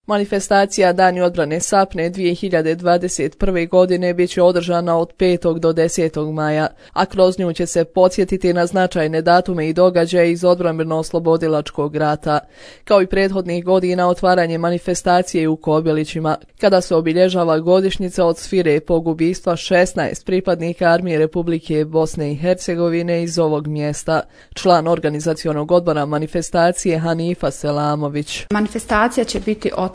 Manifestacija Dani odbrane Sapne 2021. godine bit će održana od 5. do 10. maja, a kroz nju će se podsjetiti na značajne datume i događaje iz odbrambeno-oslobodilačkog rata. Kao i prethodnih godina, otvaranje manifestacije u Kobilićima, kada se obilježava godišnjica od svirepog ubistva 16 pripadnika Armije Republike Bosne i Hercegovine iz ovog mjesta. Član organizacionog odbora manifestacije Hanifa Selamović. Manifestacija će biti otvorena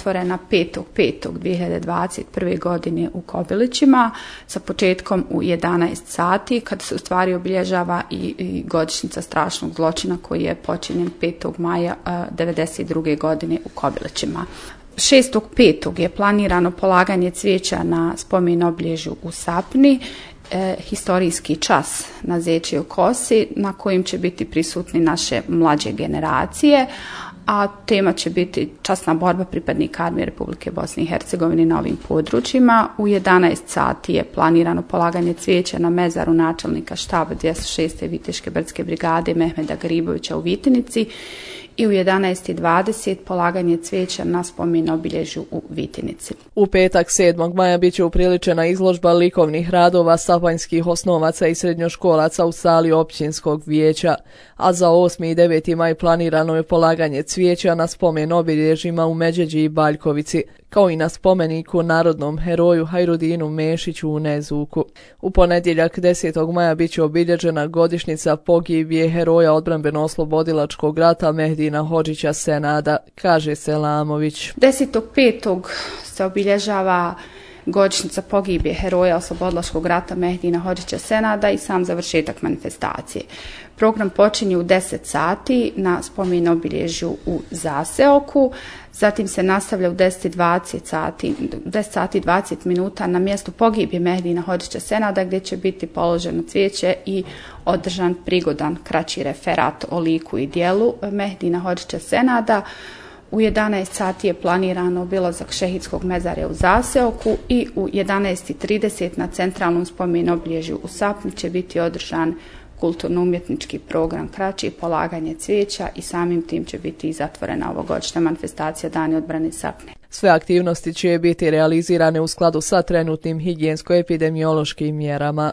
5.5.2021. godine u Kobilićima sa početkom u 11 sati, kada se u stvari obilježava i godišnjica strašnog zločina koji je počinjen 5. maja 1992. godine u Kobilićima. 6.5. je planirano polaganje cvijeća na spomen obilježju u Sapni, historijski čas na Zečijoj kosi na kojim će biti prisutni naše mlađe generacije, a tema će biti časna borba pripadnika Armije Republike Bosne i Hercegovine na ovim područjima. U 11 sati je planirano polaganje cvijeća na mezaru načelnika štaba 206. Viteške brdske brigade Mehmeda Gribovića u Vitinici i u 11:20 polaganje cvijeća na spomen obilježju u Vitinici. U petak 7. maja bit će upriličena izložba likovnih radova sapanjskih osnovaca i srednjoškolaca u sali općinskog vijeća, a za 8. i 9. maj planirano je polaganje cvijeća na spomen obilježjima u Međeđi i Baljkovici, kao i na spomeniku narodnom heroju Hajrudinu Mešiću u Nezuku. U ponedjeljak 10. maja bit će obilježena godišnjica pogibije heroja odbrambeno-oslobodilačkog rata Mehdina Hodžića Senada, kaže Selamović. 10.5. se obilježava godišnjica pogibije heroja oslobodilačkog rata Mehdina Hodžića Senada i sam završetak manifestacije. Program počinje u 10 sati na spomen obilježju u Zaseoku, zatim se nastavlja u 10 sati i 20 minuta na mjestu pogibije Mehdina Hodžića Senada, gdje će biti položeno cvijeće i održan prigodan kraći referat o liku i djelu Mehdina Hodžića Senada. U 11 sati je planirano obilazak šehidskog mezarja u Zaseoku i u 11:30 na centralnom spomen obilježju u Sapni će biti održan kulturno-umjetnički program kraći, polaganje cvijeća i samim tim će biti i zatvorena ovogodišnja manifestacija Dani odbrane Sapne. Sve aktivnosti će biti realizirane u skladu sa trenutnim higijensko-epidemiološkim mjerama.